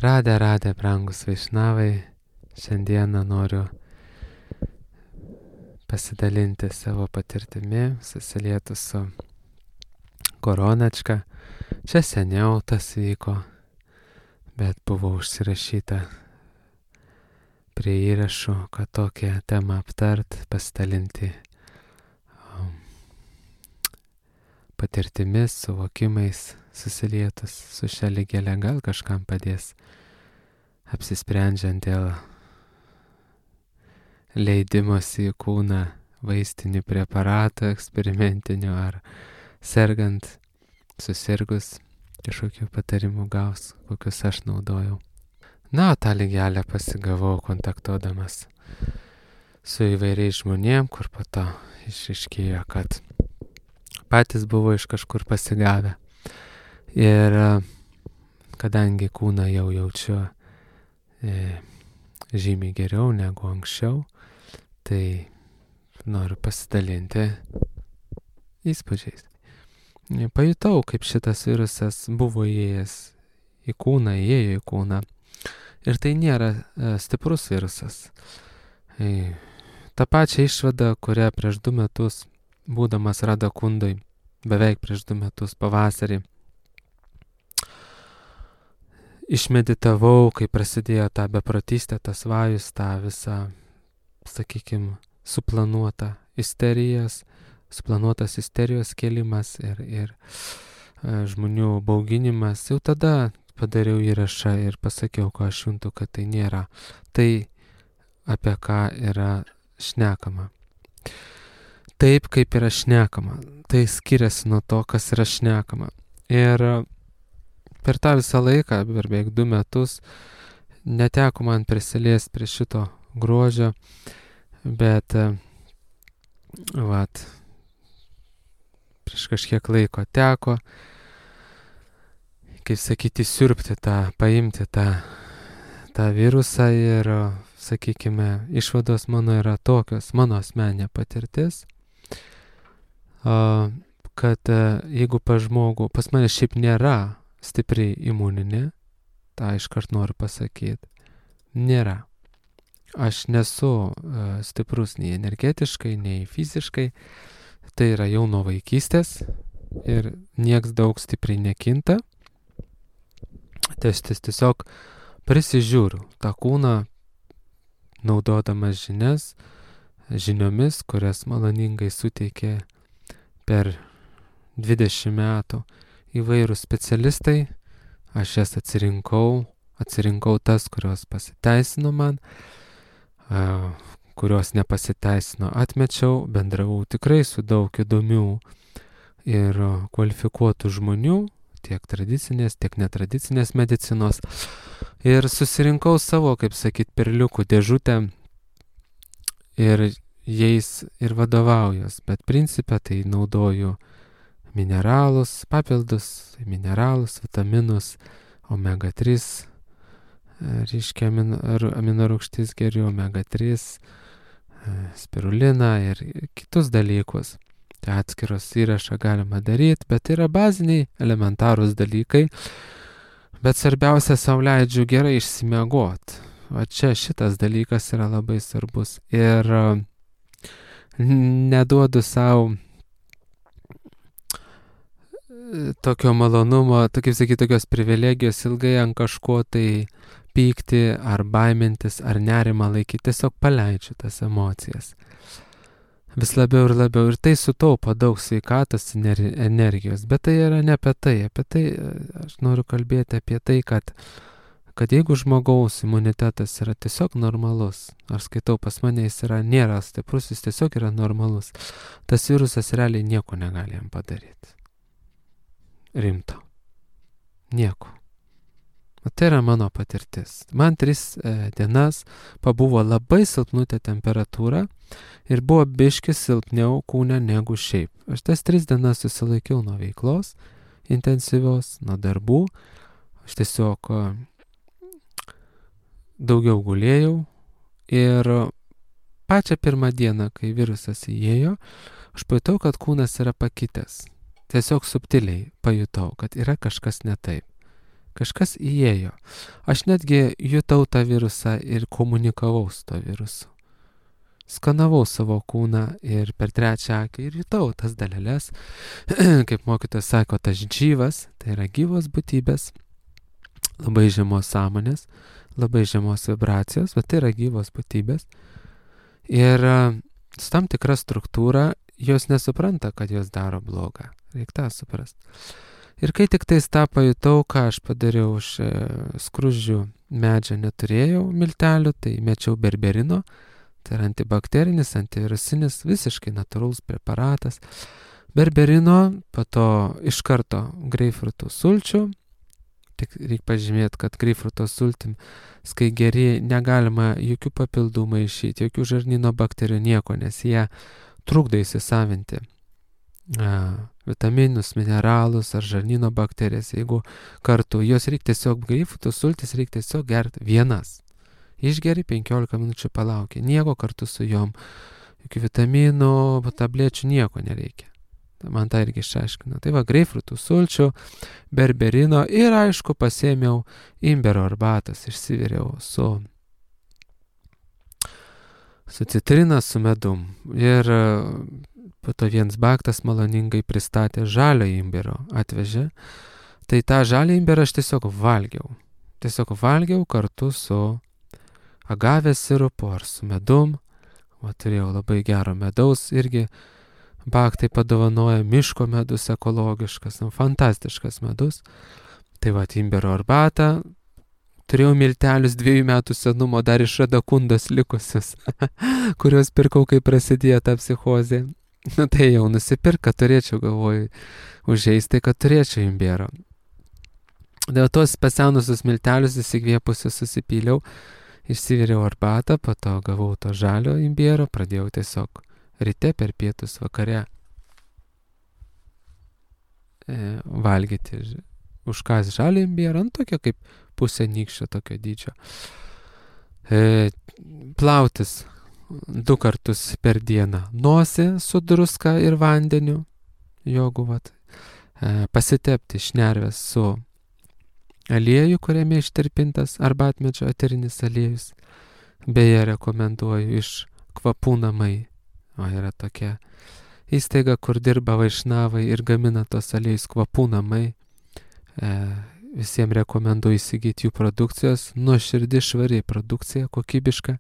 Radę, brangus vaišnavai, šiandieną noriu pasidalinti savo patirtimi, susilietu su koronačka. Čia seniau tas vyko, bet buvo užsirašyta prie įrašų, kad tokią temą aptart, pasidalinti patirtimis, suvokimais, susilietus su šia lygele, gal kažkam padės apsisprendžiant dėl leidimosi į kūną vaistinių preparatų eksperimentinių ar sergant, susirgus, kažkokių patarimų gaus, kokius aš naudojau. Na, tą lygelę pasigavau kontaktuodamas su įvairiais žmonėm, kur po to išaiškėjo, kad patys buvo iš kažkur pasigavę. Ir kadangi kūną jau jaučiu žymiai geriau negu anksčiau, tai noriu pasidalinti įspūdžiais. Pajutau, kaip šitas virusas buvo įėjęs į kūną, įėjo į kūną. Ir tai nėra stiprus virusas. Ta pačia išvada, kurią prieš 2 metus, būdamas Radakundoj, beveik prieš 2 metus pavasarį, išmeditavau, kai prasidėjo ta beprotystė, tas vajus, ta visa, sakykime, suplanuotas isterijos kėlimas ir žmonių bauginimas. Jau tada padariau įrašą ir pasakiau, ko aš juntu, kad tai nėra tai, apie ką yra šnekama. Taip, kaip yra šnekama. Tai skiriasi nuo to, kas yra šnekama. Ir per tą visą laiką, per beveik 2 metus, neteko man prisiliesti prie šito grožio, bet prieš kažkiek laiko teko, kaip sakyti, siurbti paimti tą virusą ir, sakykime, išvados mano yra tokios, mano asmeninė patirtis, kad jeigu pas mane šiaip nėra stipriai imuninė, tą iškart noriu pasakyti, nėra. Aš nesu stiprus nei energetiškai, nei fiziškai, tai yra jau nuo vaikystės ir nieks daug stipriai nekinta. Tai aš tiesiog prisižiūriu tą kūną, naudodamas žiniomis, kurias maloningai suteikė per 20 metų įvairūs specialistai. Aš jas atsirinkau tas, kurios pasiteisino man, kurios nepasiteisino atmečiau, bendravau tikrai su daug įdomių ir kvalifikuotų žmonių, tiek tradicinės, tiek netradicinės medicinos. Ir susirinkau savo, kaip sakyt, perliukų dėžutę ir jais ir vadovaujuos. Bet principę tai naudoju mineralus, papildus, mineralus, vitaminus, omega 3, reiškia aminorūgštis geriau, omega 3, spiruliną ir kitus dalykus. Tai atskiros įrašą galima daryti, bet yra baziniai, elementarūs dalykai. Bet svarbiausia, sau leidžiu gerai išsimiegoti. O čia šitas dalykas yra labai svarbus. Ir neduodu sau tokio malonumo, tokios privilegijos ilgai ant kažko tai pykti, ar baimintis, ar nerimą laikyti. Tiesiog paleidžiu tas emocijas. Vis labiau ir labiau. Ir tai sutaupo daug sveikatos energijos. Bet tai yra ne apie tai. Apie tai aš noriu kalbėti apie tai, kad jeigu žmogaus imunitetas yra tiesiog normalus, ar skaitau pas mane jis nėra stiprus, jis tiesiog yra normalus, tas virusas realiai nieko negali jam padaryti. Rimto. Nieko. O tai yra mano patirtis. Man 3 dienas pabuvo labai silpnutė temperatūra ir buvo biški silpniau kūne negu šiaip. Aš tas 3 dienas susilaikiau nuo veiklos intensyvios, nuo darbų. Aš tiesiog daugiau gulėjau ir pačią pirmą dieną, kai virusas įėjo, aš pajutau, kad kūnas yra pakitęs. Tiesiog subtiliai pajutau, kad yra kažkas ne taip. Kažkas įėjo. Aš netgi jutau tą virusą ir komunikavau su to virusu. Skanavau savo kūną ir per trečią akį ir jutau tas daleles, kaip mokytojas sako, tas džyvas, tai yra gyvos būtybės, labai žemos sąmonės, labai žemos vibracijos, bet tai yra gyvos būtybės. Ir su tam tikra struktūra jos nesupranta, kad jos daro blogą. Reikia tą suprasti. Ir kai tik tais tą pajutau, ką aš padariau, už skruzdžių medžio neturėjau miltelių, tai mečiau berberino. Tai yra antibakterinis, antivirusinis, visiškai natūralus preparatas. Berberino, po to iš karto greipfrutų sulčių. Tik reikia pažymėti, kad greipfruto sultim, kai geri, negalima jokių papildų maišyti, jokių žarnyno bakterijų, nieko, nes jie trukdo įsisavinti vitaminus, mineralus ar žarnyno bakterijas. Jeigu kartu, jos reikia tiesiog, greipfrutų sultis reikia tiesiog gerti vienas. Išgeri 15 minučių palaukia. Nieko kartu su jom. Jokių vitaminų, tablečių, nieko nereikia. Man tą irgi išaiškino. Tai va, greipfrutų sulčių, berberino ir aišku pasėmiau imbero arbatas. Išsiviriau su citrina, su medum. Ir po to vienas baktas maloningai pristatė žalio imbero, atvežė. Tai tą žalį imberą aš tiesiog valgiau. Tiesiog valgiau kartu su agavės sirupu ar su medum. Va, turėjau labai gero medaus irgi. Baktai padovanoja miško medus ekologiškas, fantastiškas medus. Tai va, imbero arbatą. Turėjau miltelius 2 metų senumo dar iš radakundos likusius, kuriuos pirkau, kai prasidėjo ta psichozė. Tai jau nusipirk, kad turėčiau, galvoju, užžeisti, kad turėčiau imbero. Dėl tos pasenusius miltelius įsikvėpusius susipyliau. Išsiviriau arbatą, po to gavau to žalio imbiero, pradėjau tiesiog ryte per pietus vakare valgyti užkas žalio imbierą, tokio kaip pusė nykščio tokio dydžio. Plautis 2 kartus per dieną nosį su druska ir vandeniu, jogu vat, pasitepti šnerves su aliejų, kuriame ištirpintas arbatmedžio eterinis aliejus. Beje, rekomenduoju iš Kvapų namai. O yra tokia įstaiga, kur dirba vaišnavai ir gamina tos aliejus, Kvapų namai. Visiems rekomenduoju įsigyti jų produkcijos. Nuoširdi, švari produkcija, kokybiška.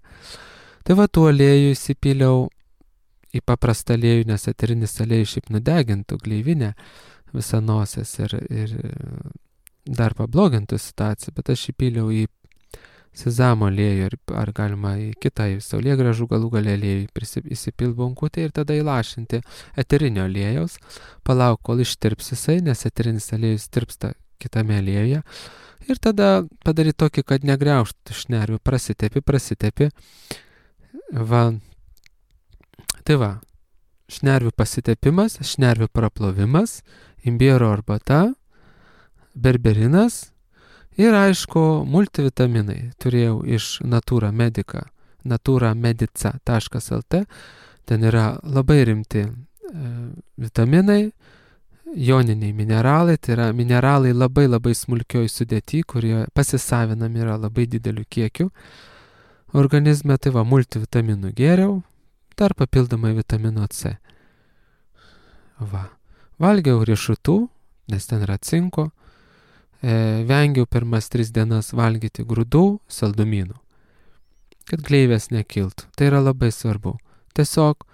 Tai va, tų aliejų įsipyliau į paprastą aliejų, nes eterinis aliejus šiaip nudegintų gleivinę visą nosies ir dar pablogintų situaciją, bet aš įpyliau į sezamo aliejų ar galima į kitą, į saulėgrąžų galų gale aliejų įsipilti bonkutę ir tada įlašinti eterinio aliejaus, palauk, kol ištirps jisai, nes eterinis aliejus tirpsta kitame aliejuje. Ir tada padaryti tokį, kad negriaužtų šnervių, prasitepi. Va. Tai va, šnervių pasitepimas, šnervių praplovimas, imbiero arbata, berberinas ir aišku multivitaminai. Turėjau iš Natura Medica, naturamedica.lt. Ten yra labai rimti vitaminai, joniniai mineralai, tai yra mineralai labai labai smulkioj sudėty, kurie pasisavinami yra labai dideliu kiekiu organizme. Tai va, multivitaminų gėriau, dar papildomai vitamino C. Va. Valgiau riešutų, nes ten yra cinko. Vengiau pirmas 3 dienas valgyti grūdų, saldumynų, kad gleivės nekiltų. Tai yra labai svarbu. Tiesiog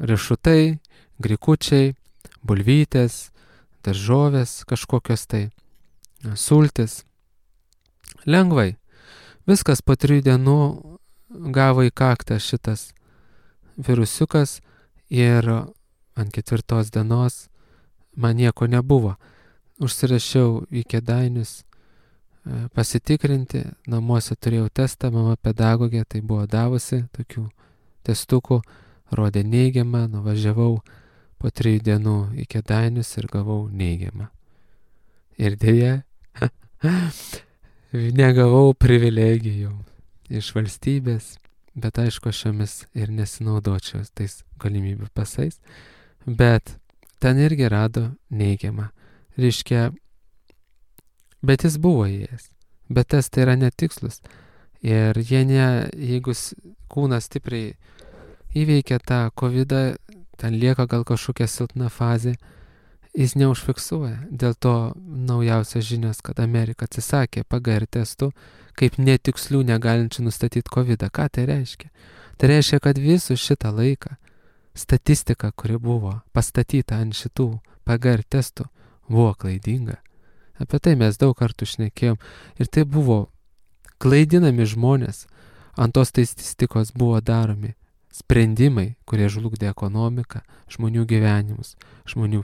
riešutai, grikučiai, bulvytės, daržovės, kažkokios tai sultis. Lengvai. Viskas po 3 dienų gavo į kaktą šitas virusiukas ir ant 4 dienos man nieko nebuvo. Užsirašiau į Kėdainius pasitikrinti, namuose turėjau testą, mama pedagogė tai buvo davusi, tokių testukų, rodė neigiamą, nuvažiavau po 3 dienų į Kėdainius ir gavau neigiamą. Ir dėja, negavau privilegijų iš valstybės, bet aišku, aš jomis ir nesinaudočiau tais galimybių pasais, bet ten irgi rado neigiamą. Reiškia, Bet jis buvo įėjęs. Bet testai yra netikslus. Ir jeigu kūnas stipriai įveikia tą COVID-ą, ten lieka gal kažkokia silpna fazė, jis neužfiksuoja. Dėl to naujausios žinios, kad Amerika atsisakė PCR testų kaip netikslių negalinčių nustatyti COVID-ą. Ką tai reiškia? Tai reiškia, kad visų šitą laiką statistika, kuri buvo pastatyta ant šitų PCR testų, buvo klaidinga. Apie tai mes daug kartų šnekėjom. Ir tai buvo klaidinami žmonės. Ant tos statistikos buvo daromi sprendimai, kurie žlugdė ekonomiką, žmonių gyvenimus, žmonių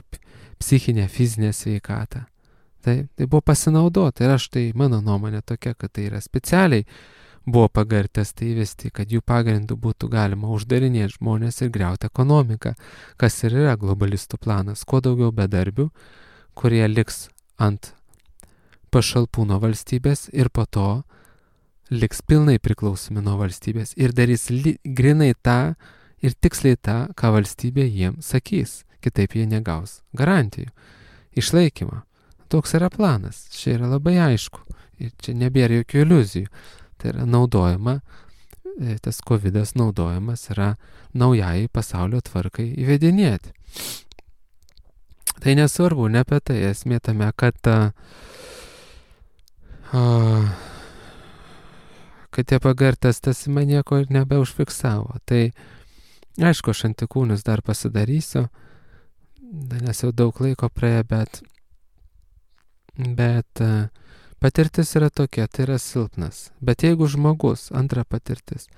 psichinę, fizinę sveikatą. Tai buvo pasinaudota ir mano nuomonė tokia, kad tai yra specialiai buvo PCR testai įvesti, kad jų pagrindų būtų galima uždarinėti žmonės ir griauti ekonomiką, kas ir yra globalistų planas. Kuo daugiau bedarbių, kurie liks ant pašalpų nuo valstybės ir po to liks pilnai priklausomi nuo valstybės ir darys grinai tą ir tiksliai tą, ką valstybė jiems sakys. Kitaip jie negaus garantijų, išlaikymą. Toks yra planas. Čia yra labai aišku. Ir čia nebėra jokių iliuzijų. Tai yra naudojama, tas COVID'as naudojamas yra naujai pasaulio tvarkai įvedinėti. Tai nesvarbu, ne apie tai. Esmė tame, kad tie PCR testas man nieko ir nebeužfiksavo. Tai aišku, aš antikūnius dar pasidarysiu, nes jau daug laiko praėjo, bet patirtis yra tokia, tai yra silpnas. Bet jeigu žmogus, antra patirtis,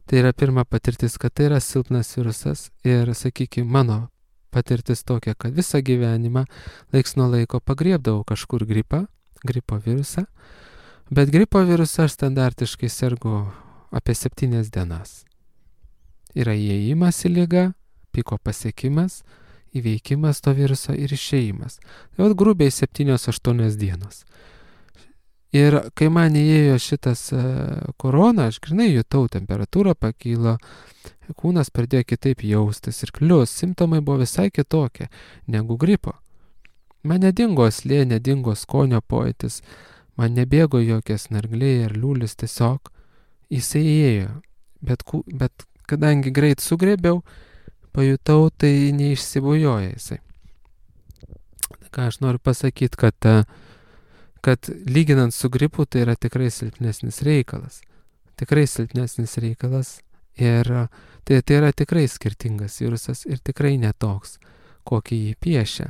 tai yra pirma patirtis, kad tai yra silpnas virusas ir, sakykime, mano patirtis tokia, kad visą gyvenimą laiks nuo laiko pagriebdavau kažkur gripo virusą, bet gripo virusą aš standartiškai sergu apie 7 dienas. Yra įėjimas į ligą, piko pasiekimas, įveikimas to viruso ir išėjimas. Tai vat grubiai 7-8 dienos. Ir kai man įėjo šitas korona, aš grinai jutau, temperatūra pakilo, kūnas pradėjo kitaip jaustis ir klius, simptomai buvo visai kitokie negu gripo. Man nedingo slė, nedingo skonio pojūtis, man nebėgo jokies snargliai ar liūlis, tiesiog jisai įėjo. Bet kadangi greit sugrėbiau, pajutau, tai neišsibujoja jisai. Ką aš noriu pasakyti, kad lyginant su gripu, tai yra tikrai silpnesnis reikalas. Tikrai silpnesnis reikalas ir tai yra tikrai skirtingas virusas ir tikrai netoks, kokį jį piešia.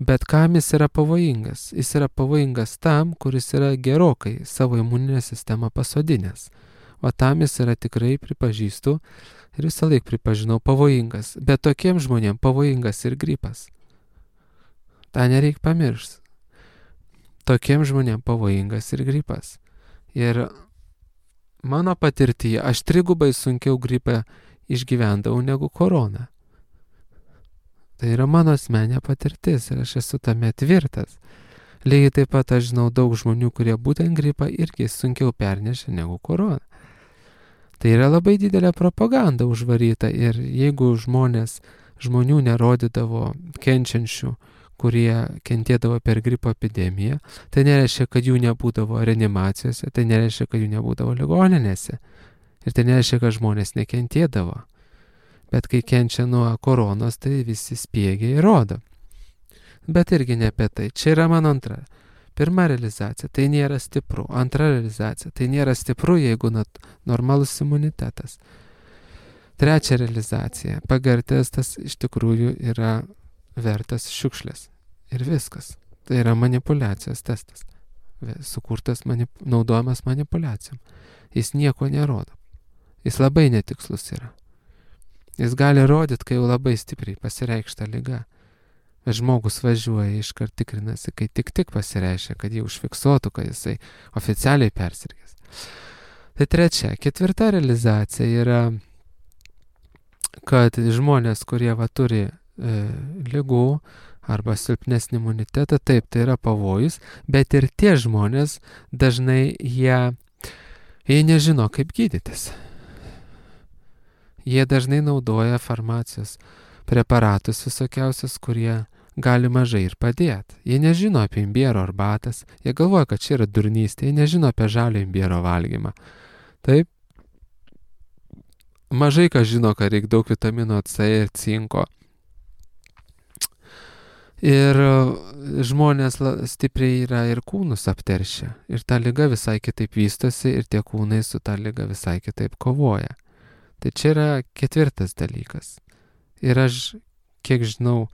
Bet kam jis yra pavojingas? Jis yra pavojingas tam, kuris yra gerokai savo imuninę sistemą pasodinęs. O tam jis yra tikrai, pripažįstu, ir visą laiką pripažinau, pavojingas. Bet tokiems žmonėms pavojingas ir gripas. Ta nereik pamiršti. Tokiems žmonėms pavojingas ir gripas. Ir mano patirtyje aš 3 sunkiau gripą išgyvendavau negu koroną. Tai yra mano asmeninė patirtis ir aš esu tame tvirtas. Lygiai taip pat aš žinau daug žmonių, kurie būtent gripą irgi sunkiau pernešė negu koroną. Tai yra labai didelė propaganda užvaryta ir jeigu žmonių nerodydavo kenčiančių, kurie kentėdavo per gripo epidemiją, tai nereiškia, kad jų nebūdavo reanimacijose, tai nereiškia, kad jų nebūdavo ligoninėse. Ir tai nereiškia, kad žmonės nekentėdavo. Bet kai kenčia nuo koronos, tai visi spiegiai rodo. Bet irgi ne apie tai. Čia yra mano antra. Pirma realizacija, tai nėra stipru. Antra realizacija, tai nėra stipru, jeigu normalus imunitetas. Trečia realizacija, PCR testas iš tikrųjų yra vertas šiukšlės. Ir viskas. Tai yra manipulacijos testas. Sukurtas, naudojamas manipulacijom. Jis nieko nerodo. Jis labai netikslus yra. Jis gali rodyti, kai jau labai stipriai pasireikšta liga. Žmogus važiuoja, iškart tikrinasi, kai tik pasireiškia, kad jį užfiksuotų, kad jisai oficialiai persirgęs. Tai trečia. Ketvirta realizacija yra, kad žmonės, kurie turi ligų arba silpnesnį imunitetą, taip, tai yra pavojus, bet ir tie žmonės dažnai jie nežino, kaip gydytis. Jie dažnai naudoja farmacijos preparatus visokiausius, kurie gali mažai ir padėti. Jie nežino apie imbiero arbatas, jie galvoja, kad čia yra durnystė, jie nežino apie žalio imbiero valgymą. Taip, mažai kas žino, kad reikia daug vitamino C ir cinko. Ir žmonės stipriai yra ir kūnus apteršę. Ir ta liga visai kitaip vystosi ir tie kūnai su ta liga visai kitaip kovoja. Tai čia yra ketvirtas dalykas. Ir aš, kiek žinau,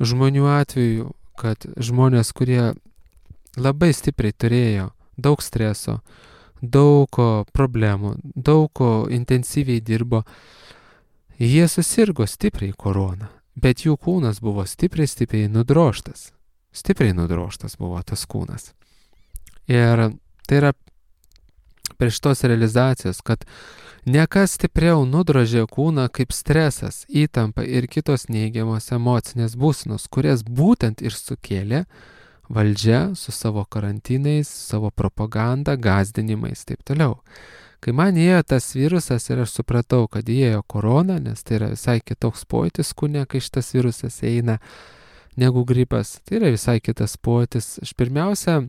žmonių atveju, kad žmonės, kurie labai stipriai turėjo daug streso, daug problemų, daug intensyviai dirbo, jie susirgo stipriai korona. Bet jų kūnas buvo stipriai nudroštas. Stipriai nudroštas buvo tas kūnas. Ir tai yra prie šitos realizacijos, kad nekas stipriau nudrožė kūną kaip stresas, įtampa ir kitos neigiamos emocinės būsenos, kurias būtent ir sukėlė valdžia su savo karantinais, savo propaganda, gąsdinimais, taip toliau. Kai man įėjo tas virusas ir aš supratau, kad įėjo korona, nes tai yra visai kitoks pojūtis kūne, kai šitas virusas eina, negu gripas. Tai yra visai kitas pojūtis. Aš pirmiausia,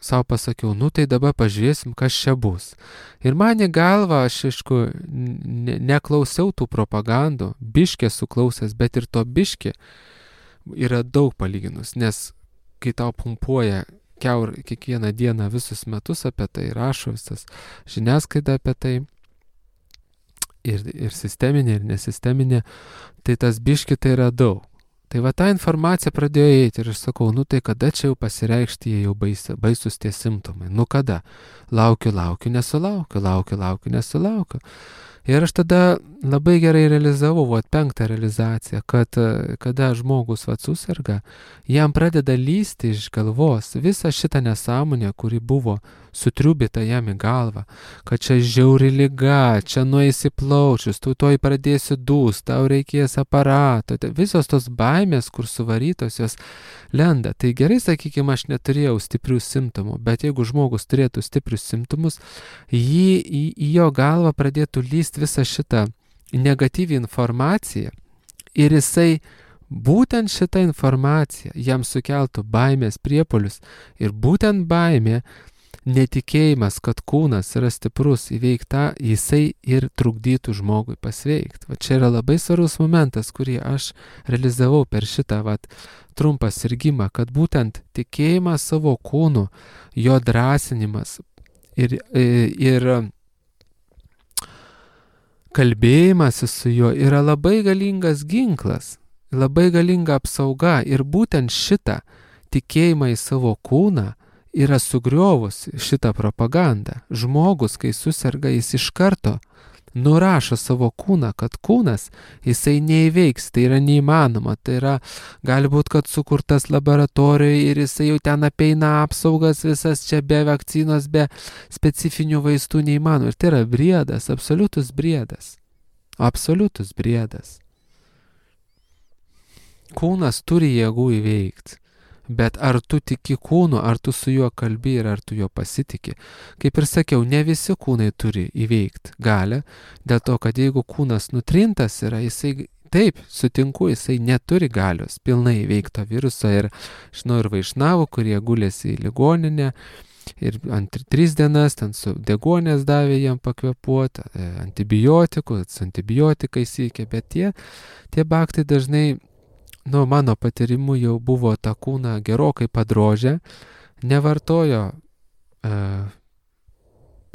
savo pasakiau, tai dabar pažiūrėsim, kas čia bus. Ir man į galvą, aš aišku, neklausiau tų propagandų, biškė suklausęs, bet ir to biškė yra daug palyginus, nes kai tau pumpuoja kiekvieną dieną visus metus apie tai, rašo visas žiniasklaida apie tai, ir sisteminė, ir nesisteminė, tai tas biški tai yra daug. Tai va ta informacija pradėjo eiti ir aš sakau, tai kada čia jau pasireikšti, jie jau baisus tie simptomai, kada? Laukiu, nesulaukiu. Ir aš tada labai gerai realizavau, penktą realizaciją, kad kada žmogus susirga, jam pradeda lysti iš galvos visą šitą nesąmonę, kuri buvo sutriubita jam į galvą, kad čia žiauri liga, čia nueisi plaučius, tu toj pradėsi dūst, tau reikės aparato, visos tos baimės, kur suvarytos, jos lenda. Tai gerai, sakykime, aš neturėjau stiprių simptomų, bet jeigu žmogus turėtų stiprius simptomus, į jo galvą pradėtų lyst visą šitą negatyvią informaciją ir jisai būtent šitą informaciją jam sukeltų baimės priepuolius ir būtent baimė, netikėjimas, kad kūnas yra stiprus įveikta, jisai ir trukdytų žmogui pasveikti. Va čia yra labai svarbus momentas, kurį aš realizavau per šitą trumpą sirgimą, kad būtent tikėjimas savo kūnu, jo drąsinimas ir kalbėjimasis su juo yra labai galingas ginklas, labai galinga apsauga ir būtent šitą tikėjimą į savo kūną yra sugriovusi šitą propagandą. Žmogus, kai susirga, jis iš karto nurašo savo kūną, kad kūnas jisai neįveiks, tai yra neįmanoma, tai yra gali būti, kad sukurtas laboratorijoje ir jisai jau ten apeina apsaugas visas čia be vakcinos, be specifinių vaistų neįmanoma. Ir tai yra briedas, absoliutus briedas. Absoliutus briedas. Kūnas turi jėgų įveikti. Bet ar tu tiki kūnu, ar tu su juo kalbi ir ar tu juo pasitiki? Kaip ir sakiau, ne visi kūnai turi įveikti galią, dėl to, kad jeigu kūnas nutrintas yra, jisai, taip, sutinku, jisai neturi galios pilnai įveikto viruso ir žinau ir vaišnavų, kurie gulėsi į ligoninę ir 3 dienas ten su deguonės davė jam pakvėpuoti, antibiotikais įkė, bet tie baktai dažnai mano patirimu jau buvo tą kūną gerokai padrožę, nevartojo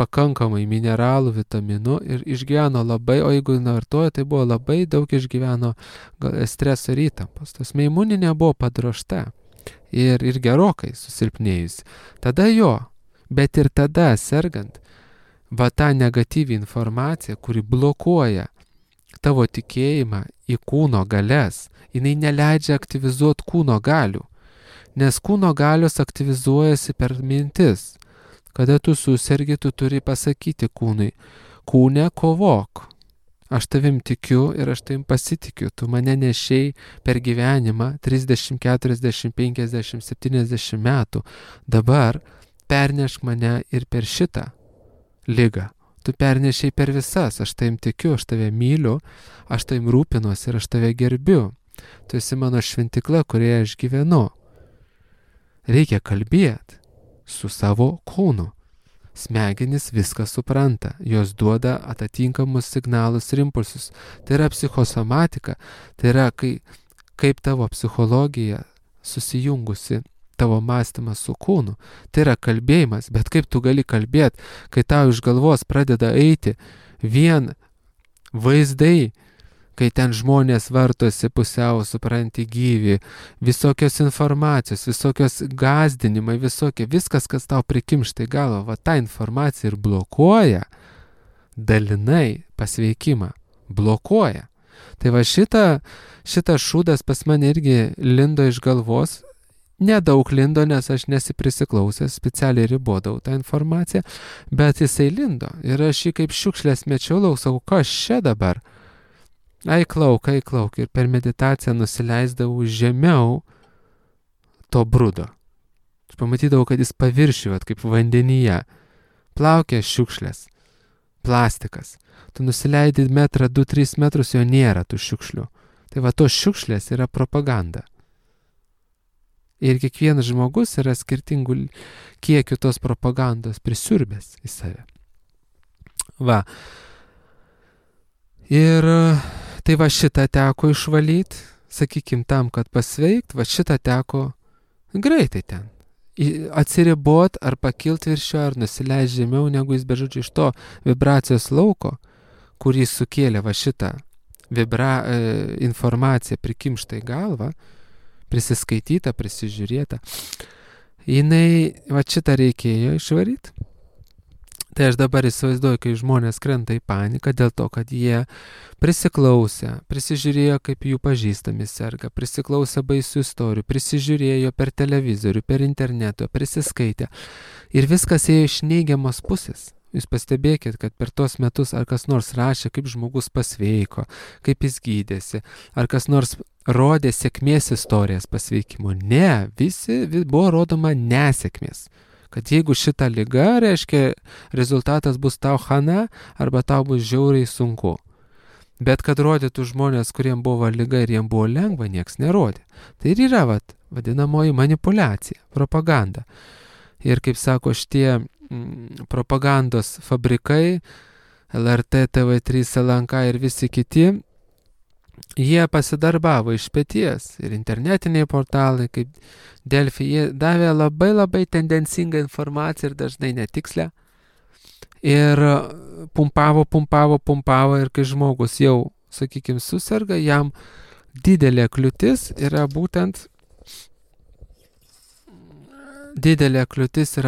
pakankamai mineralų, vitaminų ir išgyveno labai, o jeigu nevartojo, tai buvo labai daug išgyveno streso ir įtampos. Tas imuninė buvo padrožta ir gerokai susilpnėjusi. Tada bet ir tada sergant, ta negatyvi informacija, kuri blokuoja tavo tikėjimą į kūno galias, jinai neleidžia aktyvizuoti kūno galių, nes kūno galios aktyvizuojasi per mintis. Kada tu susergi, tu turi pasakyti kūnui, kūne kovok, aš tavim tikiu ir aš tavim pasitikiu, tu mane nešiai per gyvenimą 30, 40, 50, 70 metų, dabar pernešk mane ir per šitą ligą. Tu pernešiai per visas, aš tavim tikiu, aš tave myliu, aš tavim rūpinuosi ir aš tave gerbiu. Tu esi mano šventikla, kurioje aš gyvenu. Reikia kalbėti su savo kūnu. Smegenys viską supranta, jos duoda atitinkamus signalus ir impulsus. Tai yra psichosomatika, tai yra kaip tavo psichologija susijungusi tavo mąstymas su kūnu. Tai yra kalbėjimas, bet kaip tu gali kalbėti, kai tau iš galvos pradeda eiti vien vaizdai, kai ten žmonės vartosi pusiau, supranti gyvi, visokios informacijos, visokios gąsdinimai, viskas, kas tau prikimšta į galvą, va ta informacija ir blokuoja dalinai pasveikimą, blokuoja. Tai va šitas šūdas pas mane irgi lindo iš galvos, nedaug lindo, nes aš nesiprisiklausęs, specialiai ribodavau tą informaciją, bet jisai lindo ir aš jį kaip šiukšlės mečiau lauk, sakau, kas čia dabar? Aiklauk, ir per meditaciją nusileisdavau žemiau to brudo. Aš pamatydavau, kad jis paviršiuje, kaip vandenyje, plaukia šiukšlės, plastikas. Tu nusileidi 2-3 metrus, jo nėra tų šiukšlių. Tai va, tos šiukšlės yra propaganda. Ir kiekvienas žmogus yra skirtingų kiekių tos propagandos prisiurbęs į save. Va. Ir tai va šitą teko išvalyti, sakykim, tam, kad pasveikt, va šitą teko greitai ten. Atsiribot ar pakilti virš jo, ar nusileisti žemiau, negu jis bežodžiu iš to vibracijos lauko, kurį sukėlė va šitą informaciją prikimštą į galvą, prisiskaityta, prisižiūrėta. Jinai, va šitą reikėjo išvaryti. Tai aš dabar įsivaizduoju, kai žmonės krenta į paniką dėl to, kad jie prisiklausė, prisižiūrėjo, kaip jų pažįstami serga, prisiklausė baisių istorijų, prisižiūrėjo per televizorių, per internetą, prisiskaitė. Ir viskas ėjo iš neigiamos pusės. Jūs pastebėkit, kad per tos metus ar kas nors rašė, kaip žmogus pasveiko, kaip jis gydėsi, ar kas nors rodė sėkmės istorijas pasveikimo. Ne, buvo rodoma nesėkmės. Kad jeigu šita liga, reiškia, rezultatas bus tau chana, arba tau bus žiauriai sunku. Bet kad rodytų žmonės, kuriem buvo liga ir jiem buvo lengva, nieks nerodė. Tai ir yra vadinamoji manipulacija, propaganda. Ir kaip sako šitie propagandos fabrikai, LRT, TV3, LNK ir visi kiti, jie pasidarbavo iš peties ir internetiniai portalai, kaip Delfi, jie davė labai tendencingą informaciją ir dažnai netikslę. Ir pumpavo ir kai žmogus jau, sakykime, susirga, jam didelė kliūtis yra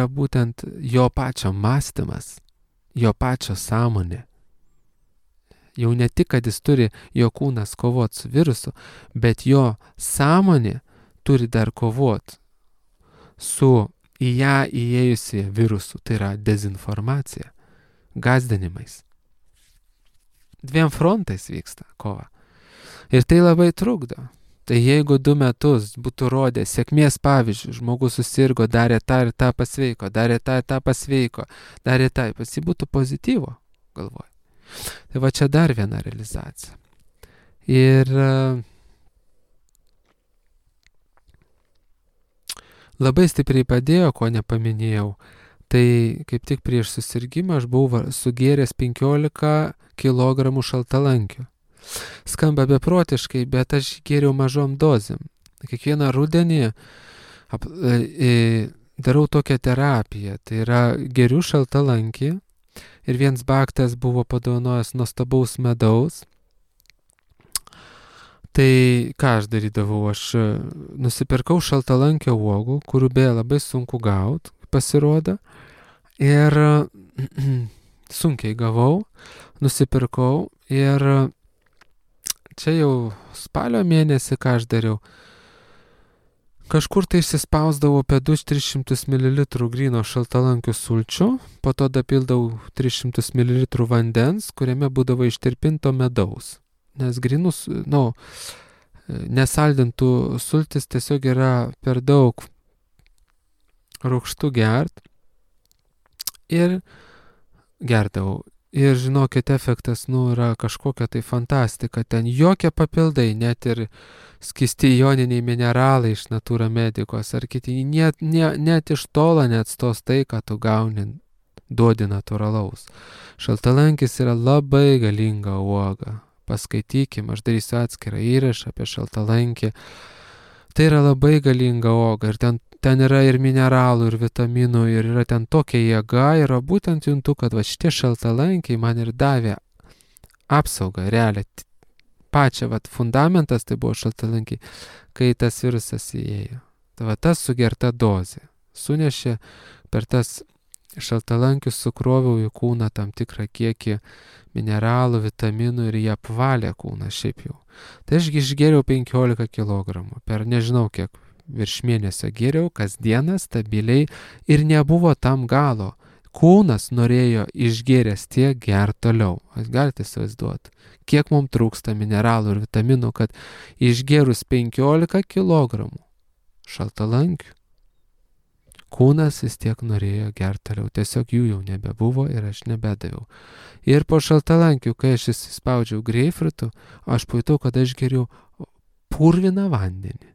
būtent jo pačio mąstymas, jo pačio sąmonė. Jau ne tik, kad jis turi jo kūnas kovoti su virusu, bet jo sąmonė turi dar kovoti su į ją įėjusi virusu, tai yra dezinformacija, gąsdinimais. 2 frontais vyksta kova. Ir tai labai trukdo. Tai jeigu 2 metus būtų rodę sėkmės pavyzdžių, žmogus susirgo, darė tą ir tą pasveiko, darė tą ir tą pasveiko, darė tą, pas jį būtų pozityvo, galvoju. Tai va čia dar viena realizacija. Ir labai stipriai padėjo, ko nepaminėjau, tai kaip tik prieš susirgimą aš buvau sugėręs 15 kg šaltalankių. Skamba beprotiškai, bet aš gėriau mažom dozėm. Kiekvieną rudenį darau tokią terapiją, tai yra geriu šaltalankį. Ir viens baktas buvo padovanojęs nuostabaus medaus. Tai ką aš darydavau? Aš nusipirkau šaltalankio uogų, kurių beje labai sunku gauti, pasirodo. Ir sunkiai gavau, nusipirkau. Ir čia jau spalio mėnesį, ką aš dariau, kažkur tai išsispausdavau apie 200-300 ml gryno šaltalankių sulčių, po to dapildavau 300 ml vandens, kuriame būdavo ištirpinto medaus. Nes grynus, nesaldintų sultis tiesiog yra per daug rūgštų gert. Ir gerdavau. Ir žinokit, efektas, yra kažkokia tai fantastika. Ten jokie papildai, net ir skisti joniniai mineralai iš Natura Medicos ar kiti, net iš tolo neatstos tai, ką tu gauni, duodi natūralaus. Šaltalankis yra labai galinga uoga. Paskaitykim, aš darysiu atskirą įrašą apie šaltalankį. Tai yra labai galinga uoga ir ten yra ir mineralų, ir vitaminų, ir yra ten tokia jėga, ir būtent juntu, kad šitie šaltalankiai man ir davė apsaugą, realią, pačią, fundamentas tai buvo šaltalankiai, kai tas virusas įėjo. Tai tas sugerta dozė sunešė per tas šaltalankius, sukroviau į kūną tam tikrą kiekį mineralų, vitaminų ir jie apvalė kūną šiaip jau. Tai aš išgėriau 15 kg per nežinau kiek, virš mėnesio gėriau kasdieną stabiliai ir nebuvo tam galo. Kūnas norėjo išgėręs tiek gert toliau. Jūs galite įsivaizduoti, kiek mums trūksta mineralų ir vitaminų, kad išgėrus 15 kg šaltalankių, kūnas vis tiek norėjo gert toliau. Tiesiog jų jau nebebuvo ir aš nebedaviau. Ir po šaltalankių, kai aš įsispaudžiau greipfrutų, aš pajutau, kad aš geriu purviną vandenį.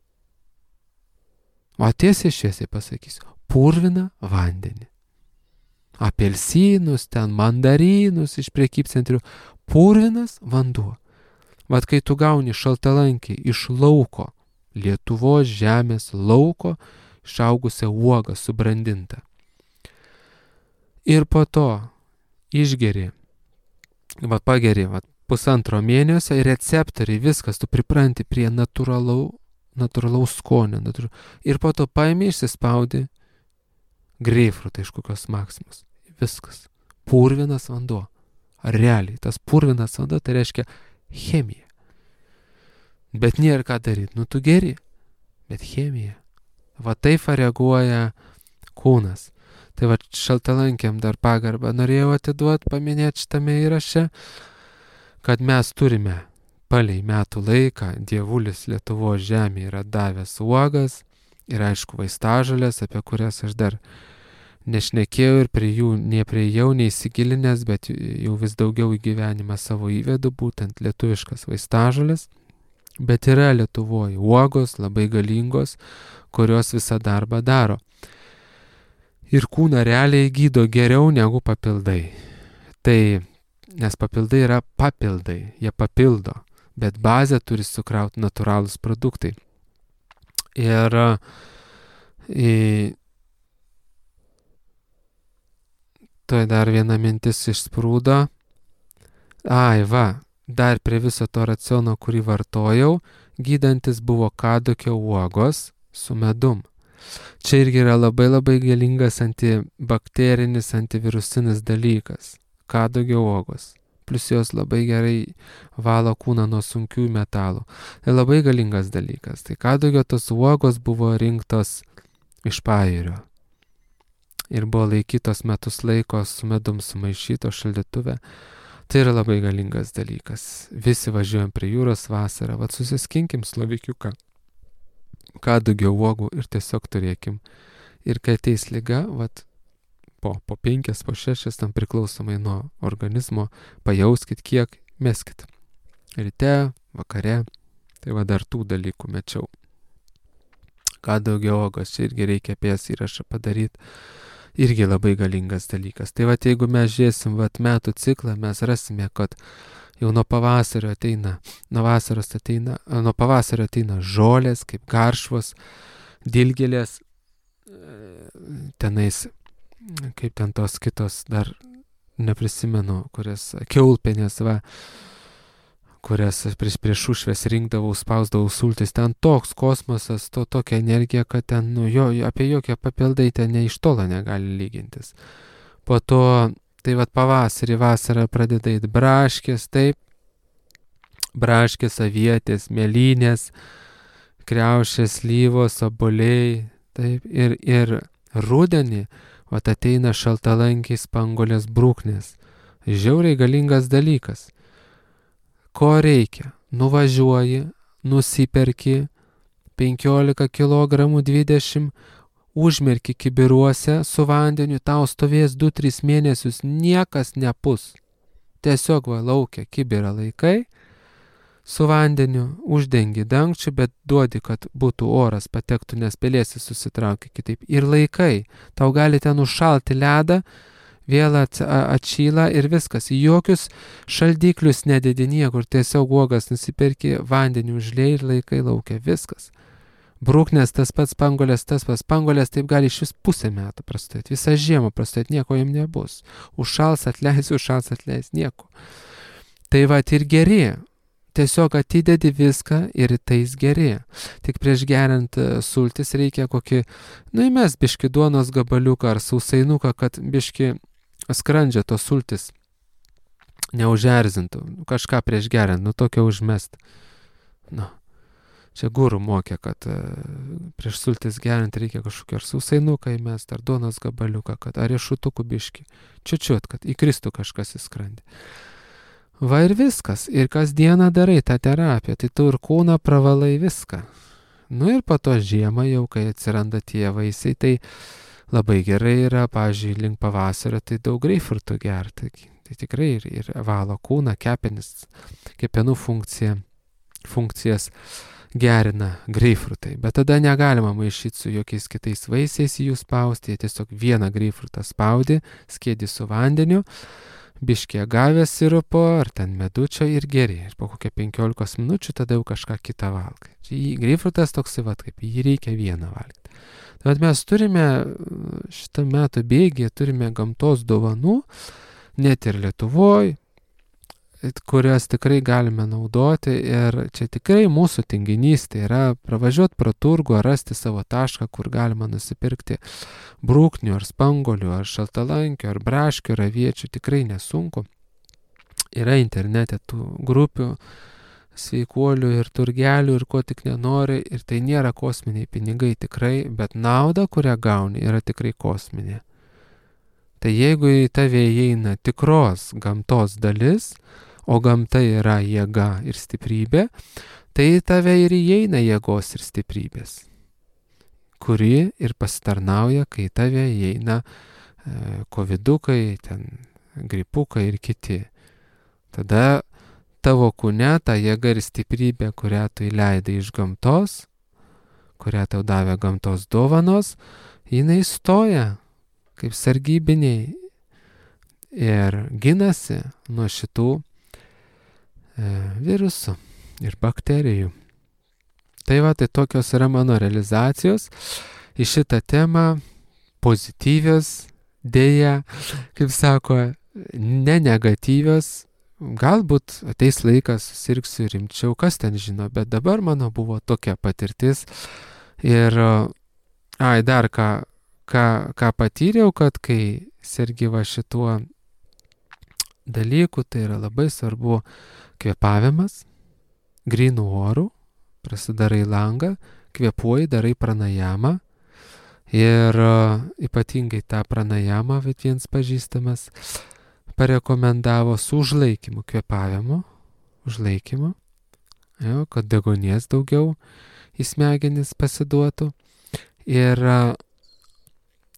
O tiesiai šviesiai pasakysiu, purviną vandenį. Apelsinus, ten mandarinus iš prekybcentrių, purvinas vanduo. Kai tu gauni šaltalankį iš lauko, Lietuvos žemės lauko, išaugusią uogą subrandintą. Ir po to išgeri, pageri, 1,5 mėnesio ir receptoriai, viskas, tu pripranti prie natūralaus skonio. Ir po to paimi išsispaudi greipfrutą iš kokios Maksimos. Viskas. Purvinas vanduo. Realiai, tas purvinas vanduo tai reiškia chemija. Bet nėra ką daryti. Tu geri, bet chemija. Taip reaguoja kūnas. Tai šaltalankiam dar pagarbą norėjau atiduoti, paminėti šitame įraše, kad mes turime palei metų laiką, dievulis Lietuvos žemė yra davęs uogas ir aišku vaistažolės, apie kurias aš dar nešnekėjau ir prie jų nepriejau, neįsigilinęs, bet jau vis daugiau į gyvenimą savo įvedu, būtent lietuviškas vaistažolės. Bet yra Lietuvoje uogos labai galingos, kurios visą darbą daro. Ir kūną realiai gydo geriau negu papildai. Tai, nes papildai yra papildai, jie papildo, bet bazę turi sukrauti natūralūs produktai. Ir tai dar viena mintis išsprūdo. Dar prie viso to raciono, kurį vartojau, gydantis buvo kadukio uogos su medum. Čia irgi yra labai labai galingas antibakterinis, antivirusinis dalykas. Kadugio uogos. Plus jos labai gerai valo kūną nuo sunkių metalų. Tai labai galingas dalykas. Tai kadugio tos uogos buvo rinktos iš Pajūrio. Ir buvo laikytos metus laiko su medum sumaišyto šaldytuve. Tai yra labai galingas dalykas. Visi važiuojam prie jūros vasarą, susiskinkim slovikiuką kadugio uogų ir tiesiog turėkim. Ir kai ateis liga, po 5, po 6, tam priklausomai nuo organizmo, pajauskit kiek, meskit. Ryte, vakare, tai dar tų dalykų mečiau. Kadugio uogos, čia irgi reikia apie jas įrašą padaryti. Irgi labai galingas dalykas. Tai jeigu mes žiūrėsim metų ciklą, mes rasime, kad jau nuo pavasario ateina žolės, kaip garšvos, dilgėlės, tenais, kaip ten tos kitos, dar neprisimenu, kurias kiaulpienės, kurias prieš ušves rinkdavau, spausdavau sultis, ten toks kosmosas, tokia energija, kad ten, apie jokie papildai ten ne iš tolo negali lygintis. Po to, tai pavasarį, vasarą pradeda eit braškės, taip, braškės, avietės, mėlynės, kriaušės, slyvos, obuoliai, taip, ir rudenį, ateina šaltalankiai spanguolės brūknės. Žiauriai galingas dalykas. Ko reikia? Nuvažiuoji, nusiperki 15 kg, 20, užmerki kibiruose su vandeniu, tau stovės 2-3 mėnesius, niekas nepus. Tiesiog va laukia kibirą laikai, su vandeniu uždengi dangčiu, bet duodi, kad būtų oras patektų, nes pelėsis susitraukia kitaip. Ir laikai, tau gali ten užšalti ledą, vėl atšyla ir viskas. Jokius šaldiklius nededi niekur, tiesiog uogas nusiperki, vandenį užliej ir laikai laukia, viskas. Brūknės tas pats, Spanguolės tas pats. Spanguolės taip gali iš vis pusę metų prastovėti, visą žiemą prastovėti, nieko jam nebus. Užšals atleis, nieko. Tai va ir geri. Tiesiog atidedi viską ir tais geri. Tik prieš geriant sultis reikia kokį, įmes biški duonos gabaliuką ar sausainuką, kad biški skrandžio tos sultis neužerzintų. Kažką prieš geriant, tokio užmest. Čia gurų mokė, kad prieš sultis geriant reikia kažkokį ar sausainuką įmest, ar duonos gabaliuką, kad ar riešutukų biški. Čiučiut, kad įkristų kažkas į skrandį. Va ir viskas. Ir kasdieną darai tą terapiją, tai tu ir kūną pravalai viską. Ir po to žiemą jau, kai atsiranda tie vaisiai, tai labai gerai yra, pavyzdžiui, link pavasario, tai daug greipfrutų gerti. Tai tikrai ir valo kūną, kepenis, kepenų funkcijas gerina greipfrutai. Bet tada negalima maišyti su jokiais kitais vaisiais jų spausti, jie tiesiog vieną greipfrutą spaudi, skėdi su vandeniu, biškį agavės sirupo ar ten medučio ir geri. Ir po kokią 15 minučių tada jau kažką kitą valgai. Greipfrutas toksai, kaip jį reikia vieną valgyti. Bet mes turime šitą metų bėgį, turime gamtos dovanų, net ir Lietuvoje, kurias tikrai galime naudoti ir čia tikrai mūsų tinginys, tai yra pravažiuoti pro turgų ar rasti savo tašką, kur galima nusipirkti brūknių ar spanguolių ar šaltalankių ar braškių ar aviečių, tikrai nesunku. Yra internete tų grupių, sveikuolių ir turgelių ir ko tik nenori ir tai nėra kosminiai pinigai tikrai, bet nauda, kurią gauni, yra tikrai kosminė. Tai jeigu į tave įeina tikros gamtos dalis, o gamta yra jėga ir stiprybė, tai į tave ir įeina jėgos ir stiprybės, kuri ir pasitarnauja, kai į tave įeina kovidukai, ten gripukai ir kiti. Tada tavo kūne ta jėga ir stiprybė, kurią tu įleidai iš gamtos, kurią tau davė gamtos dovanos, jinai stoja kaip sargybiniai ir ginasi nuo šitų virusų ir bakterijų. Tai va, tai tokios yra mano realizacijos į šitą temą, pozityvios, dėja, kaip sako, ne negatyvios. Galbūt ateis laikas, susirgsiu rimčiau, kas ten žino, bet dabar mano buvo tokia patirtis. Ir, dar ką patyriau, kad kai sergi va šituo dalyku, tai yra labai svarbu kvėpavimas, grynų orų, prasidarai langą, kvėpuoji, darai pranajamą ir ypatingai tą pranajamą, viens pažįstamas, parekomendavo su užlaikymu, kvėpavimu, kad deguonies daugiau į smegenis pasiduotų ir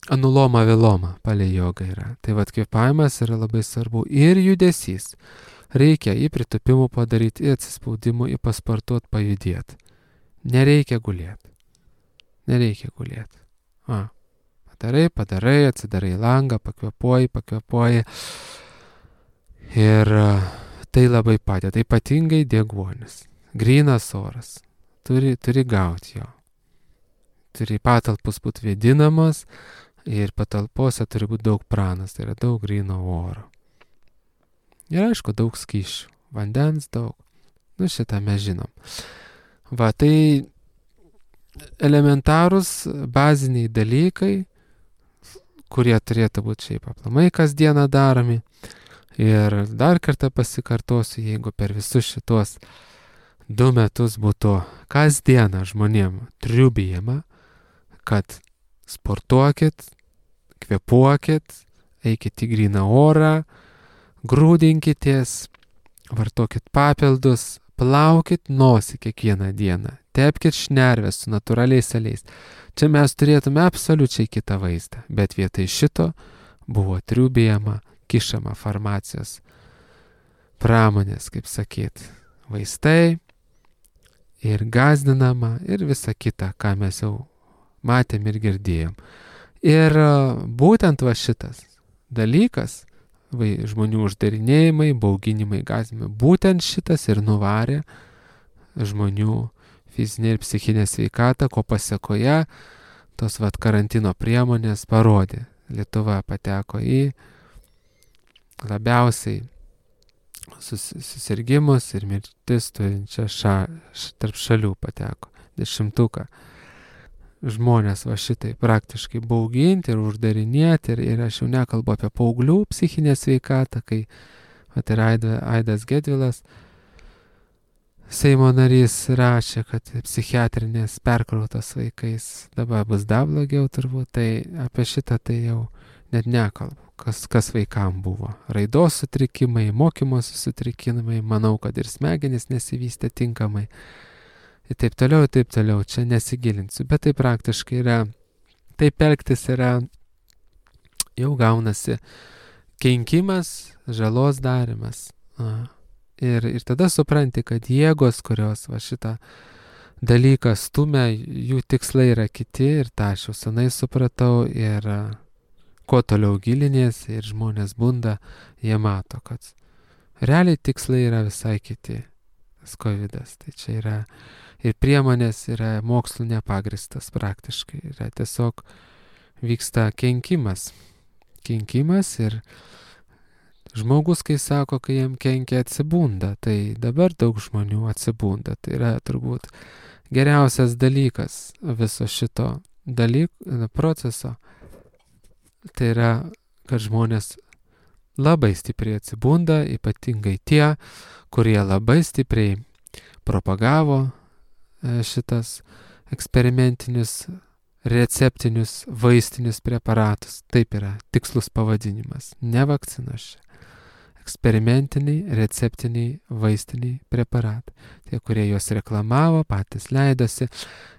anuloma viloma palei jogą yra. Tai vat kvėpavimas yra labai svarbu ir judesys. Reikia į pritupimų padaryti, į atsispaudimų, į pasportuoti, pajudėti. Nereikia gulėti. Padarai, atsidarai langą, pakvėpuoji. Ir tai labai padeda, ypatingai deguonis. Grynas oras. Turi gauti jo. Turi patalpos būti vėdinamos ir patalpose turi būti daug pranas, tai yra daug gryno oro. Ir aišku, daug skysčių, vandens daug. Šitą mes žinom. Va, tai elementarūs baziniai dalykai, kurie turėtų būti šiaip aplamai kasdieną daromi. Ir dar kartą pasikartosiu, jeigu per visus šitos 2 metus būtų kasdieną žmonėm triubijama, kad sportuokit, kvėpuokit, eikit į gryną orą, grūdinkitės, vartokit papildus, plaukit nosį kiekvieną dieną, tepkit šnerves su natūraliais aliejais. Čia mes turėtume absoliučiai kitą vaizdą, bet vietoj šito buvo triubijama, kišama farmacijos pramonės, kaip sakyt, vaistai ir gąsdinama ir visa kita, ką mes jau matėm ir girdėjom. Ir būtent va šitas dalykas, žmonių uždarinėjimai, bauginimai, gąsdinimai, būtent šitas ir nuvarė žmonių fizinė ir psichinė sveikata, ko pasekoje tos karantino priemonės parodė. Lietuva pateko į labiausiai susirgymus ir mirtis turinčią tarp šalių pateko. 10. Žmonės va šitai praktiškai bauginti ir uždarinėti ir aš jau nekalbu apie paauglių psichinę sveikatą, kai ir Aidas Gedvilas, Seimo narys, rašė, kad psichiatrinės perkrautos vaikais dabar bus dar blogiau turbūt, tai apie šitą tai jau net nekalbu. Kas vaikam buvo. Raidos sutrikimai, mokymosi sutrikimai, manau, kad ir smegenys nesivystė tinkamai. Ir taip toliau, čia nesigilinsiu. Bet tai praktiškai yra, taip elgtis yra, jau gaunasi kenkimas, žalos darimas. Ir tada supranti, kad jėgos, kurios va šitą dalyką stumia, jų tikslai yra kiti ir tą aš jau senai supratau ir kuo toliau gilinės ir žmonės bunda, jie mato, kad realiai tikslai yra visai kiti. Tas covidas, tai čia yra ir priemonės yra mokslu nepagristas praktiškai, yra tiesiog vyksta kenkimas ir žmogus, kai sako, kai jam kenkia, atsibunda, tai dabar daug žmonių atsibunda. Tai yra turbūt geriausias dalykas viso šito proceso. Tai yra, kad žmonės labai stipriai atsibunda, ypatingai tie, kurie labai stipriai propagavo šitas eksperimentinius, receptinius, vaistinius preparatus. Taip yra tikslus pavadinimas, ne vakcinos čia. Eksperimentiniai, receptiniai, vaistiniai preparatai. Tie, kurie juos reklamavo, patys leidosi,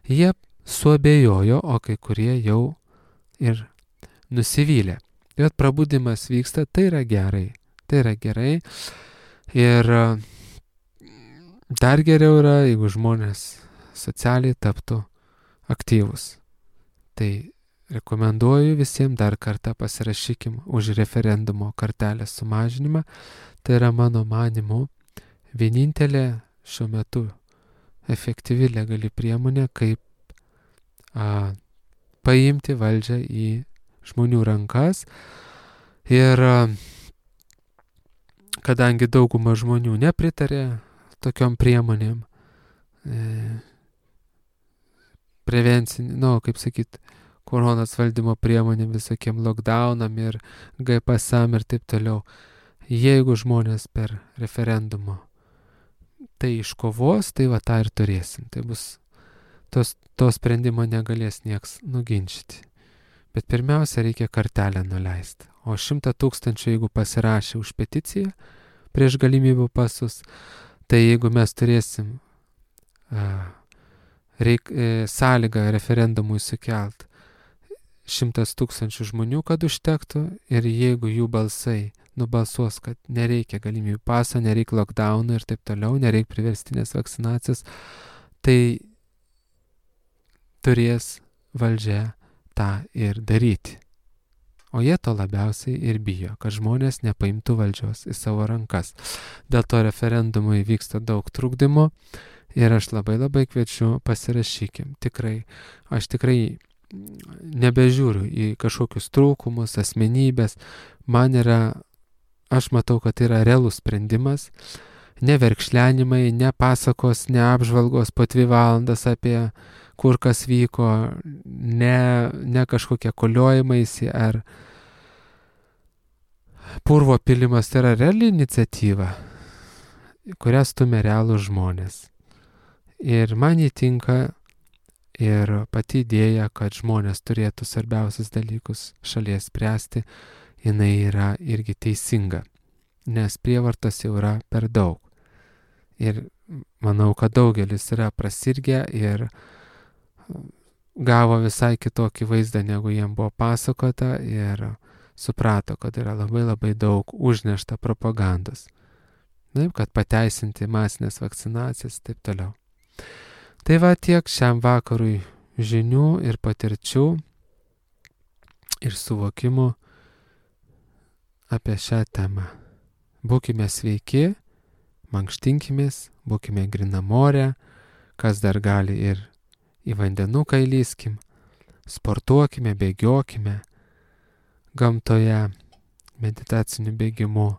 jie suabejojo, o kai kurie jau ir nusivylė. Ir prabudimas vyksta, tai yra gerai. Ir dar geriau yra, jeigu žmonės socialiai taptų aktyvus. Tai rekomenduoju visiems dar kartą pasirašykim už referendumo kartelės sumažinimą. Tai yra mano manymu vienintelė šiuo metu efektyvi legali priemonė, kaip paimti valdžią į žmonių rankas. Ir kadangi dauguma žmonių nepritarė tokiom priemonėm, prevencinį, kaip sakyt, koronos valdymo priemonėm, visokiem lockdownam ir GPSam ir taip toliau. Jeigu žmonės per referendumo tai iškovos, tai va tą ir turėsim. Tai bus, to sprendimo negalės nieks nuginčyti. Bet pirmiausia, reikia kartelę nuleisti. O 100 000, jeigu pasirašė už peticiją prieš galimybių pasus, tai jeigu mes turėsim sąlygą referendumui sukelt 100 000 žmonių, kad užtektų, ir jeigu jų balsai nubalsuos, kad nereikia galimybių paso, nereikia lockdownų ir taip toliau, nereikia priverstinės vakcinacijos, tai turės valdžia tą ir daryti. O jie to labiausiai ir bijo, kad žmonės nepaimtų valdžios į savo rankas. Dėl to referendumui vyksta daug trukdymo ir aš labai kviečiu, pasirašykim. Aš tikrai nebežiūriu į kažkokius trūkumus, asmenybės. Aš matau, kad tai yra realus sprendimas. Ne verkšlenimai, ne pasakos, ne apžvalgos po 2 valandas apie kur kas vyko, ne kažkokie koliojimaisi ar purvo pilimas. Tai yra reali iniciatyva, kurią stumia realūs žmonės. Ir man įtinka ir pati idėja, kad žmonės turėtų svarbiausius dalykus šalies spręsti, jinai yra irgi teisinga, nes prievartos jau yra per daug. Ir manau, kad daugelis yra prasirgę ir gavo visai kitokį vaizdą, negu jiem buvo pasakota, ir suprato, kad yra labai daug užnešta propagandos. Taip, kad pateisinti masinės vakcinacijas ir taip toliau. Tai va tiek šiam vakarui žinių ir patirčių ir suvokimų apie šią temą. Būkime sveiki, mankštinkimės, būkime grinamorę, kas dar gali ir į vandenuką įlyskim, sportuokime, bėgiokime gamtoje, meditaciniu bėgimu,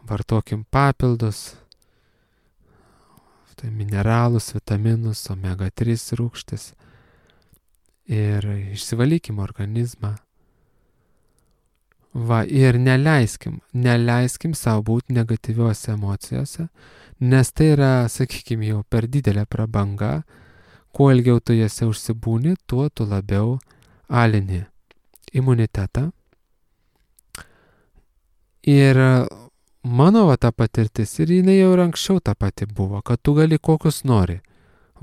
vartokim papildus, tai mineralus, vitaminus, omega 3 rūgštis ir išsivalykim organizmą. Va, ir neleiskim savo būti negatyviuose emocijose, nes tai yra, sakykime, jau per didelė prabanga. Kuo ilgiau tu jose užsibūni, tuo tu labiau alini imunitetą. Ir mano ta patirtis, ir jinai jau ir anksčiau ta pati buvo, kad tu gali kokius nori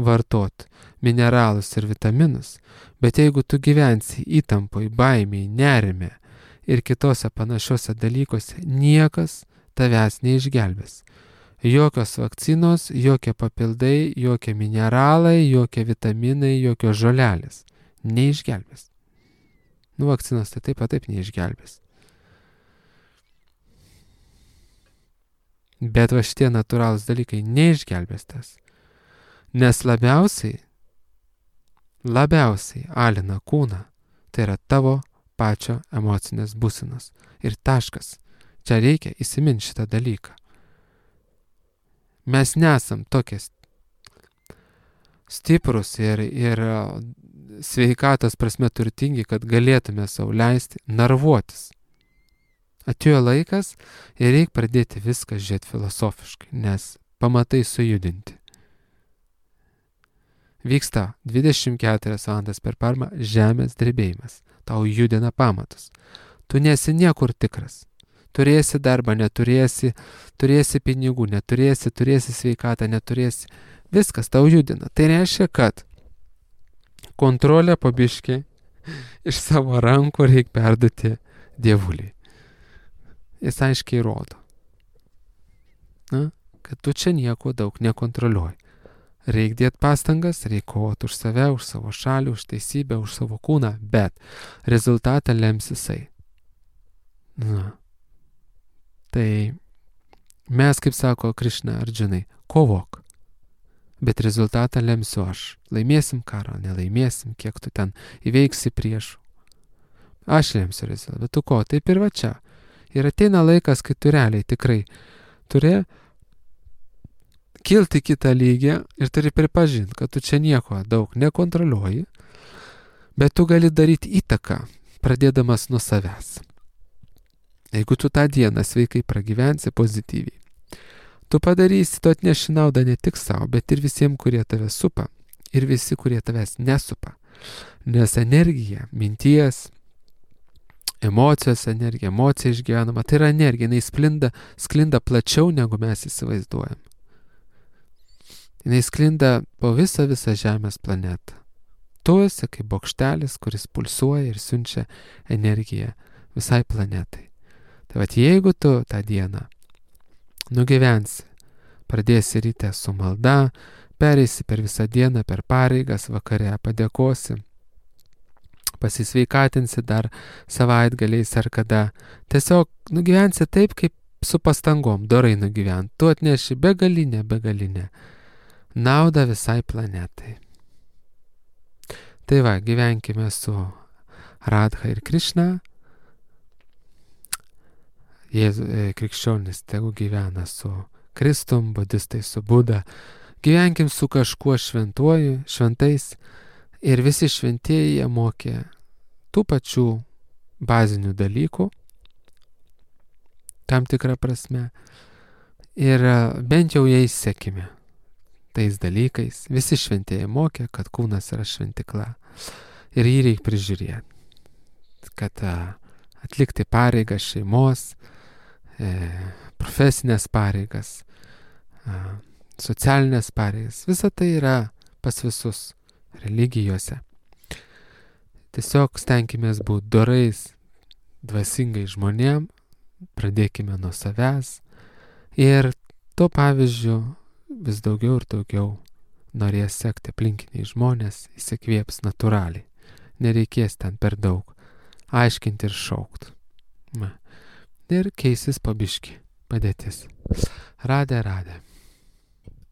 vartoti mineralus ir vitaminus, bet jeigu tu gyvensi įtampoj, baimėj, nerime ir kitose panašiose dalykuose, niekas tavęs neišgelbės. Jokios vakcinos, jokie papildai, jokie mineralai, jokie vitaminai, jokios žolelės neišgelbės. Vakcinos tai taip neišgelbės. Bet va šitie natūralūs dalykai neišgelbės tas. Nes labiausiai alina kūną. Tai yra tavo pačio emocinės būsenos. Ir taškas. Čia reikia įsiminti šitą dalyką. Mes nesam tokie stiprus ir sveikatos prasme turtingi, kad galėtume sau leisti narvuotis. Atėjo laikas ir reikia pradėti viską žiūrėti filosofiškai, nes pamatai sujudinti. Vyksta 24 valandas per parą žemės drebėjimas. Tau judina pamatus. Tu nesi niekur tikras. Turėsi darbą, neturėsi, turėsi pinigų, neturėsi, turėsi sveikatą, neturėsi. Viskas tau judina. Tai reiškia, kad kontrolę po biškį iš savo rankų reikia perduoti Dievuliui. Jis aiškiai rodo, kad tu čia nieko daug nekontroliuoji. Reikia dėti pastangas, reikia kovoti už save, už savo šalį, už teisybę, už savo kūną, bet rezultatą lems jisai. Tai mes, kaip sako Krišna Arjunai, kovok, bet rezultatą lemsiu aš. Laimėsim karą, nelaimėsim, kiek tu ten įveiksi priešų. Aš lemsiu rezultatą, bet tu ko, taip ir va čia. Ir ateina laikas, kai tu realiai tikrai turi kilti kitą lygį ir turi pripažinti, kad tu čia nieko daug nekontroliuoji, bet tu gali daryti įtaką, pradėdamas nuo savęs. Jeigu tu tą dieną sveikai pragyvensi pozityviai, tu padarysi, tu atneši naudą ne tik savo, bet ir visiems, kurie tave supa ir visi, kurie tavęs nesupa. Nes energija, minties, emocijos energija, emocija išgyvenama, tai yra energija, jinai sklinda plačiau, negu mes įsivaizduojam. Jinai sklinda po visą Žemės planetą. Tu esi kaip bokštelis, kuris pulsuoja ir siunčia energiją visai planetai. Tai vat jeigu tu tą dieną nugyvensi, pradėsi ryte su malda, pereisi per visą dieną, per pareigas, vakare padėkosi, pasisveikatinsi dar savaitgaliais ar kada. Tiesiog nugyvensi taip, kaip su pastangom, dorai nugyventi. Tu atneši begalinę naudą visai planetai. Tai va, gyvenkime su Radha ir Krišna. Krikščionis tegu gyvena su Kristum, budistai su Buda. Gyvenkim su kažkuo šventuoju, šventais. Ir visi šventieji jie mokė tų pačių bazinių dalykų, tam tikrą prasme. Ir bent jau jais sekime tais dalykais. Visi šventieji mokė, kad kūnas yra šventikla. Ir jį reikia prižiūrėti. Kad atlikti pareigas šeimos, profesinės pareigas, socialinės pareigas. Visa tai yra pas visus religijose. Tiesiog stenkimės būti dorais, dvasingai žmonėm, pradėkime nuo savęs Ir tuo pavyzdžiu vis daugiau ir daugiau norės sekti aplinkiniai žmonės, įsikvėps natūraliai. Nereikės ten per daug aiškinti ir šaukt. Ir keisis pabiški padėtis. Radė.